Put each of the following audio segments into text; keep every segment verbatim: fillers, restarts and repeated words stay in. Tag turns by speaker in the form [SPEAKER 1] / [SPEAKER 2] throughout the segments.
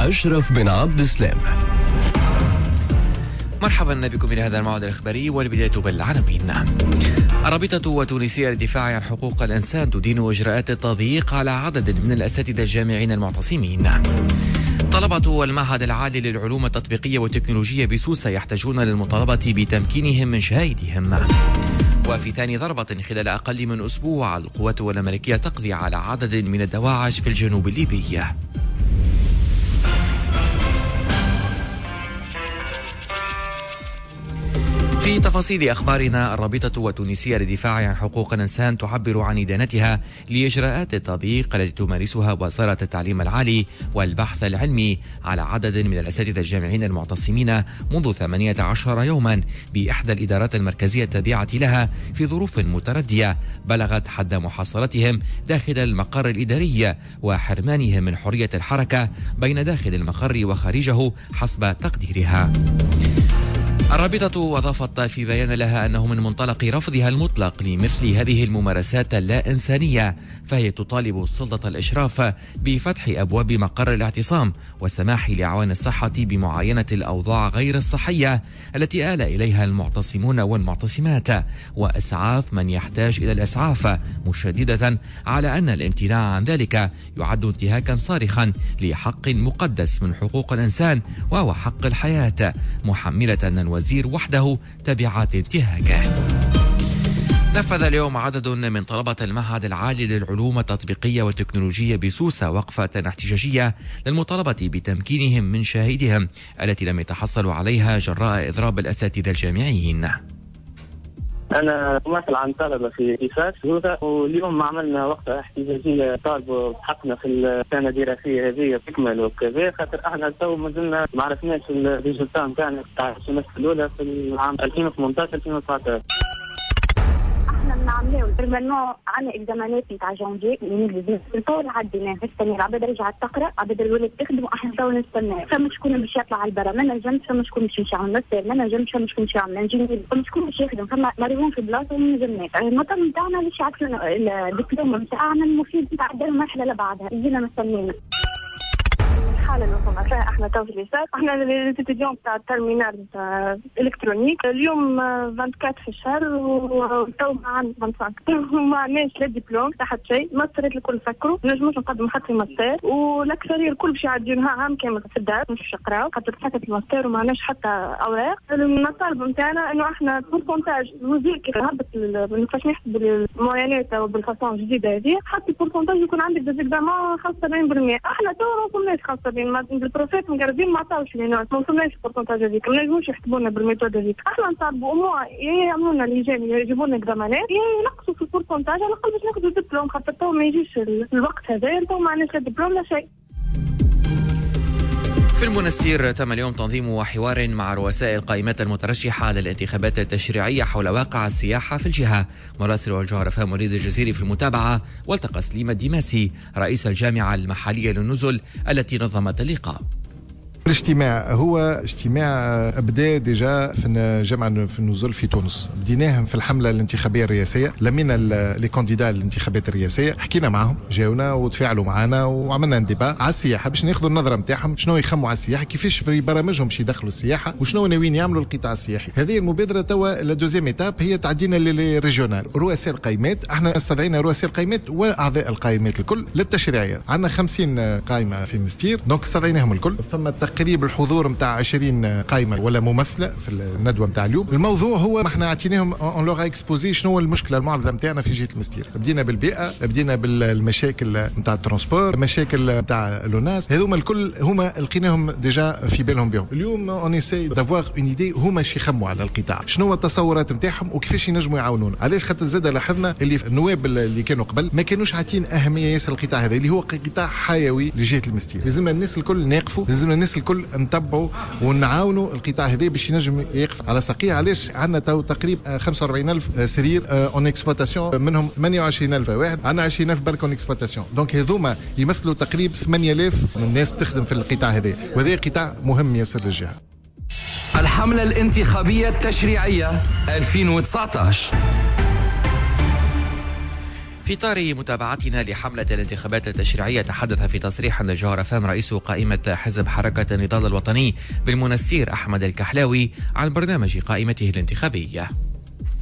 [SPEAKER 1] أشرف بن عبد السلام.
[SPEAKER 2] مرحبا بكم إلى هذا الموعد الإخباري، والبداية بالعناوين. الرابطة التونسية للدفاع عن حقوق الإنسان تدين إجراءات التضييق على عدد من الأساتذة الجامعيين المعتصمين. طلبة المعهد العالي للعلوم التطبيقية والتكنولوجية بسوسة يحتاجون للمطالبة بتمكينهم من شهادتهم. وفي ثاني ضربة خلال أقل من أسبوع، القوات الأمريكية تقضي على عدد من الدواعش في الجنوب الليبي. في تفاصيل أخبارنا، الرابطة التونسية للدفاع عن حقوق الإنسان تعبر عن إدانتها لإجراءات التضييق التي تمارسها وزارة التعليم العالي والبحث العلمي على عدد من الأساتذة الجامعيين المعتصمين منذ ثمانية عشر يوما بإحدى الإدارات المركزية التابعة لها في ظروف متردية بلغت حد محاصرتهم داخل المقر الإداري وحرمانهم من حرية الحركة بين داخل المقر وخارجه حسب تقديرها. الرابطة أضافت في بيان لها أنه من منطلق رفضها المطلق لمثل هذه الممارسات اللا إنسانية، فهي تطالب السلطة الإشراف بفتح أبواب مقر الاعتصام والسماح لأعوان الصحة بمعاينة الأوضاع غير الصحية التي آل إليها المعتصمون والمعتصمات وإسعاف من يحتاج إلى الإسعاف، مشددة على أن الامتناع عن ذلك يعد انتهاكا صارخا لحق مقدس من حقوق الإنسان وهو حق الحياة، محملة الوزير وحده تبعات انتهاكه. نفذ اليوم عدد من طلبة المعهد العالي للعلوم التطبيقية والتكنولوجية بسوسة وقفة احتجاجية للمطالبة بتمكينهم من شهادتهم التي لم يتحصلوا عليها جراء إضراب الأساتذة الجامعيين.
[SPEAKER 3] أنا ممثل عن طلبة في إيفاس هذا، واليوم عملنا وقفة احتجاجية طالبوا بحقنا في السنة الدراسية هذه تكمل وكذا، خاطر احنا تو مازلنا ما عرفناش ال résultat نتاعنا تاع ال semestre الأولى في العام ألفين وثمانية عشر ألفين وتسعة عشر.
[SPEAKER 4] احنا بنعملوا normalement عندنا examen ات نتاع جانفي الطول عديناه، نستنى العباد رجعت تقرا، عباد الولاد تخدم، واحنا تو نستنى. فما شكون باش يطلع على البرا، ما نجمش، فما شكون باش يمشي يعمل ماستر، ما نجمش، فما شكون باش يعمل ingénieur، فما شكون باش يخدم، فما مريضون في بلاصة وما نجمناش. المطلب نتاعنا باش يعطينا الدبلوم نتاعنا المفيد نتاع المرحلة اللي بعدها، يجينا مستنينا.
[SPEAKER 5] الحالة اللي وصلنا فيها احنا تو في l'ISSAT، احنا les étudiants تاع ال terminale تاع électronique، اليوم أربعة وعشرين في الشهر وتو ما عندنا خمسة وعشرين، ما عندناش لا دبلوم لا حتى شيء، ماسترات الكل سكروا، ما نجموش نقدموا حتى ماستر، والاكثريه الكل باش يعديوها عام كامل في الدار مش باش يقراو خاطر سكت الماستر وما عندناش حتى اوراق. المطالب نتاعنا انه احنا pourcentage الوزير كي هبط كيفاش نحسبوا ال moyenne ات بال façon الجديدة هذه، حتى ال pourcentage يكون عندك des examens خمسة وسبعين بالمية، احنا تو ما وصلناش خمسة وسبعين، ال profs مقربين ما عطاوش les notes، ما وصلناش ال pourcentage هذيك، ما نجموش يحسبوا لنا بال méthode هذيك. احنا نطالبوا au moins يعملوا لنا لجان يجيبوا لنا examen ات ينقصوا في ال pourcentage على الاقل باش ناخذوا دبلوم، خاطر تو ما يجيش الوقت هذا، تو ما عندناش لا دبلوم لا شيء.
[SPEAKER 2] في المنستير تم اليوم تنظيم حوار مع رؤساء القائمات المترشحة للانتخابات التشريعية حول واقع السياحة في الجهة. مراسل الجوهرة فهم وليد الجزيري في المتابعة، والتقى سليم الديماسي رئيس الجامعة المحلية للنزل التي نظمت اللقاء.
[SPEAKER 6] الاجتماع هو اجتماع بدا déjà في الجامعة في النزل في تونس، بديناهم في الحملة الانتخابية الرئاسية، لمينا les candidats الانتخابات الرئاسية، حكينا معهم، جاونا وتفاعلوا معنا وعملنا débat على السياحة باش ناخذوا النظرة نتاعهم شنو يخموا على السياحة، كيفاش في برامجهم باش يدخلوا السياحة وشنو ناويين يعملوا القطاع السياحي. هذه المبادرة توا la deuxième étape هي تعدينا لل régional، رؤساء القائمات، احنا استدعينا رؤساء القائمات واعضاء القائمات الكل للتشريعيه، عندنا خمسين قائمة في مستير، donc استدعيناهم الكل، ثم تقريب الحضور نتاع عشرين قائمة ولا ممثلة في الندوة نتاع اليوم. الموضوع هو ما احنا عطيناهم on leur a exposé شنو المشكلة المعضلة نتاعنا في جهة المستير، بدينا بالبيئة، بدينا بالمشاكل نتاع ال transport، مشاكل نتاع l'ONAS، هذوما الكل هما لقيناهم déjà في بالهم بهم. اليوم on essaie d'avoir une idée هما شي يخموا على القطاع، شنو التصورات نتاعهم وكيفاش ينجموا يعاونونا. علاش؟ خاطر زاد لاحظنا اللي النواب اللي كانوا قبل ما كانوش عاطين اهمية ياسر القطاع هذا اللي هو قطاع حيوي لجهة المستير. لازمنا الناس الكل ناقفوا، لازمنا الناس الكل نتبعوا ونعاونوا القطاع هذا باش ينجم يقف على ساقيه. علاش؟ عندنا تو تقريبا خمسة وأربعين ألف سرير en exploitation، منهم ثمانية وعشرين ألف واحد، عندنا عشرين ألف برك en exploitation، donc هذوما يمثلوا تقريبا ثمانية آلاف من الناس تخدم في القطاع هذا، وهذا قطاع مهم ياسر للجهة.
[SPEAKER 1] الحملة الانتخابية التشريعية ألفين وتسعة عشر.
[SPEAKER 2] في في إطار متابعتنا لحملة الانتخابات التشريعية، تحدث في تصريح للجوهرة فام رئيس قائمة حزب حركة النضال الوطني بالمنستير أحمد الكحلاوي عن برنامج قائمته الانتخابية.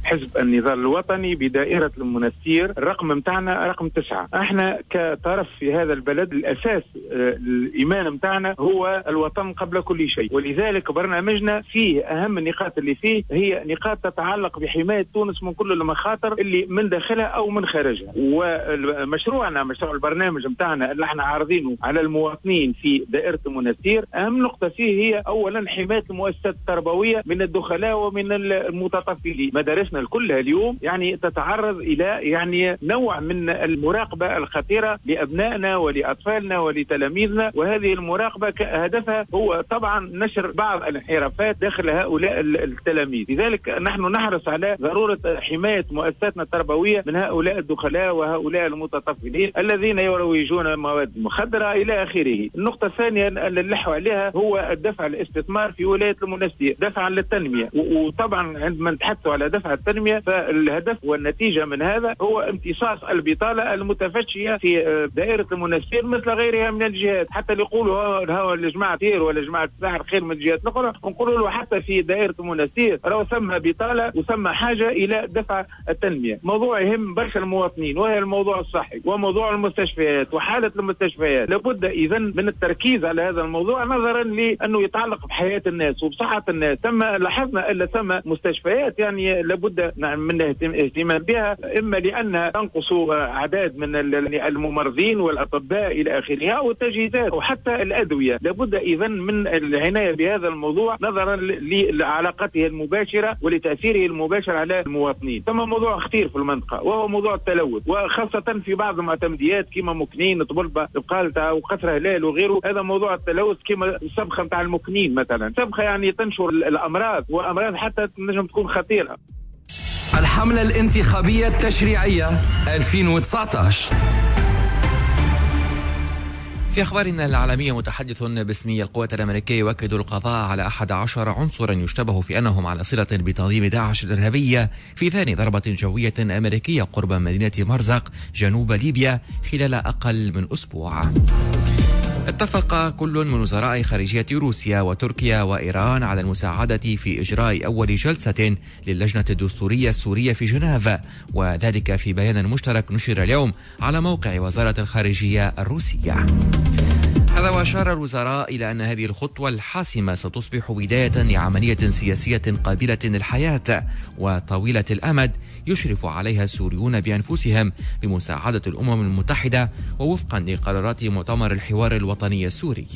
[SPEAKER 7] حزب النضال الوطني بدائرة المنستير الرقم متاعنا رقم تسعة. احنا كطرف في هذا البلد الأساس الإيمان متاعنا هو الوطن قبل كل شيء، ولذلك برنامجنا فيه أهم النقاط اللي فيه هي نقاط تتعلق بحماية تونس من كل المخاطر اللي من داخلها أو من خارجها. ومشروعنا مشروع البرنامج متاعنا اللي احنا عارضينه على المواطنين في دائرة المنستير أهم نقطة فيه هي أولا حماية المؤسسات التربوية من الدخلاء ومن المتطفلين. مدارسنا كلها اليوم يعني تتعرض إلى يعني نوع من المراقبة الخطيرة لأبنائنا ولأطفالنا ولتلاميذنا، وهذه المراقبة هدفها هو طبعا نشر بعض الانحرافات داخل هؤلاء التلاميذ. لذلك نحن نحرص على ضرورة حماية مؤسساتنا التربوية من هؤلاء الدخلاء وهؤلاء المتطفلين الذين يروجون مواد مخدرة إلى آخره. النقطة الثانية اللي نلحوا عليها هو الدفع الاستثمار في ولاية المنستير دفعا للتنمية، وطبعا عندما نتحدث على دفع التنمية فالهدف والنتيجة من هذا هو امتصاص البطالة المتفشية في دائرة المنستير مثل غيرها من الجهات. حتى اللي يقولوا هو الجماعة خير ولا جماعة الساحل خير من الجهات الأخرى، نقولوا له حتى في دائرة المنستير راهو ثم بطالة وثم حاجة إلى دفع التنمية. موضوع يهم برشا المواطنين وهي الموضوع الصحي وموضوع المستشفيات وحالة المستشفيات. لابد إذا من التركيز على هذا الموضوع نظرا لأنه يتعلق بحياة الناس وبصحة الناس. ثم لاحظنا أن ثم مستشفيات يعني لابد من الاهتمام بها، إما لأنها تنقص أعداد من الممرضين والأطباء إلى آخرها والتجهيزات وحتى الأدوية. لابد إذا من العناية بهذا الموضوع نظرا لعلاقته المباشرة ولتأثيره المباشر على المواطنين. ثم موضوع خطير في المنطقة وهو موضوع التلوث، وخاصة في بعض المعتمديات كما مكنين طبلبة بقالتة وقصر هلال وغيره. هذا موضوع التلوث كما السبخة نتاع المكنين مثلا، سبخة يعني تنشر الأمراض وأمراض حتى تنجم تكون خطيرة.
[SPEAKER 1] الحملة الانتخابية التشريعية ألفين وتسعة عشر.
[SPEAKER 2] في أخبارنا العالمية، متحدث باسم القوات الأمريكية يؤكد القضاء على أحد عشر عنصرا يشتبه في أنهم على صلة بتنظيم داعش الإرهابية في ثاني ضربة جوية أمريكية قرب مدينة مرزق جنوب ليبيا خلال أقل من أسبوع. اتفق كل من وزراء خارجية روسيا وتركيا وإيران على المساعدة في إجراء أول جلسة للجنة الدستورية السورية في جنيف، وذلك في بيان مشترك نشر اليوم على موقع وزارة الخارجية الروسية. هذا وأشار الوزراء إلى أن هذه الخطوة الحاسمة ستصبح بداية لعملية سياسية قابلة للحياة وطويلة الأمد يشرف عليها السوريون بأنفسهم بمساعدة الأمم المتحدة ووفقا لقرارات مؤتمر الحوار الوطني السوري.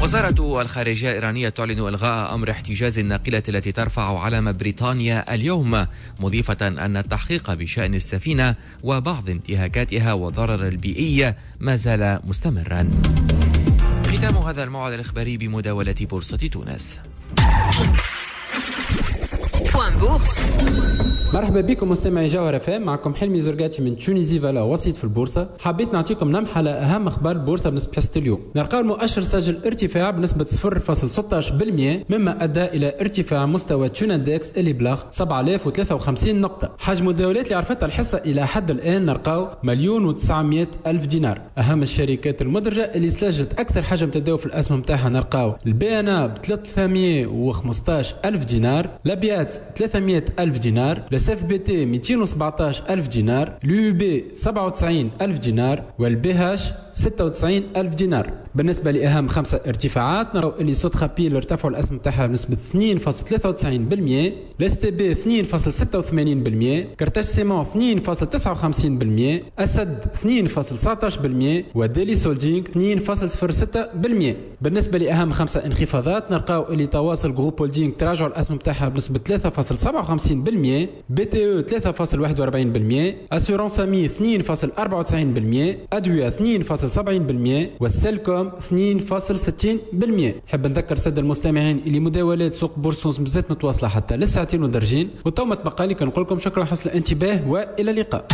[SPEAKER 2] وزارة الخارجية الإيرانية تعلن إلغاء أمر احتجاز الناقلة التي ترفع علم بريطانيا اليوم، مضيفة أن التحقيق بشأن السفينة وبعض انتهاكاتها والضرر البيئي ما زال مستمرا. ختام هذا الموعد الإخباري بمداولة بورصة تونس.
[SPEAKER 8] مرحبا بكم مستمعي جوهرة فام، معكم حلمي زرقاتي من Tunisie Valeurs وسيط في البورصة. حبيت نعطيكم لمحة على أهم أخبار البورصة بالنسبة لحصة اليوم. نلقاو المؤشر سجل ارتفاع بنسبة صفر فاصلة ستة عشر بالمئة مما أدى إلى ارتفاع مستوى Tunindex اللي بلغ سبعة آلاف وثلاثة وخمسين نقطة. حجم التداولات اللي عرفتها الحصة إلى حد الآن نلقاو مليون وتسعمائة ألف دينار. أهم الشركات المدرجة اللي سجلت أكثر حجم تداول في الأسهم نتاعها نلقاو ال BNA ب ثلاثمائة وخمسة عشر ألف دينار، لابيات ثلاثمائة ألف دينار، SFBT مئتين وسبعة عشر ألف دينار، l'UB سبعة وتسعين ألف دينار، وال BH ستة وتسعين ألف دينار. بالنسبة لأهم خمسة ارتفاعات نراو اللي Sotrapil ارتفعوا الأسهم تاعها بنسبة اثنين فاصلة ثلاثة وتسعين بالمئة، ال STB اثنين فاصلة ستة وثمانين بالمئة، Carthage Ciment اثنين فاصلة تسعة وخمسين بالمئة، أسد اثنين فاصلة تسعة عشر بالمئة، و Dellys Holding اثنين فاصلة صفر ستة بالمئة. بالنسبة لأهم خمسة انخفاضات نلقاو اللي تواصل Groupe Holding تراجعوا الأسهم تاعها بنسبة ثلاثة فاصلة سبعة وخمسين بالمئة، BTE ثلاثة فاصلة واحد وأربعين بالمئة، Assurances AMI اثنين فاصلة أربعة وتسعين بالمئة، أدوية اثنين فاصلة سبعين بالمئة، والسيلكوم اثنين فاصلة ستين بالمئة. نحب نذكر السادة المستمعين اللي مداولات سوق بورصة تونس مازالت متواصلة حتى للساعتين ودرجين، وتو ما تبقى لي كنقول لكم شكرا حسن الانتباه والى اللقاء.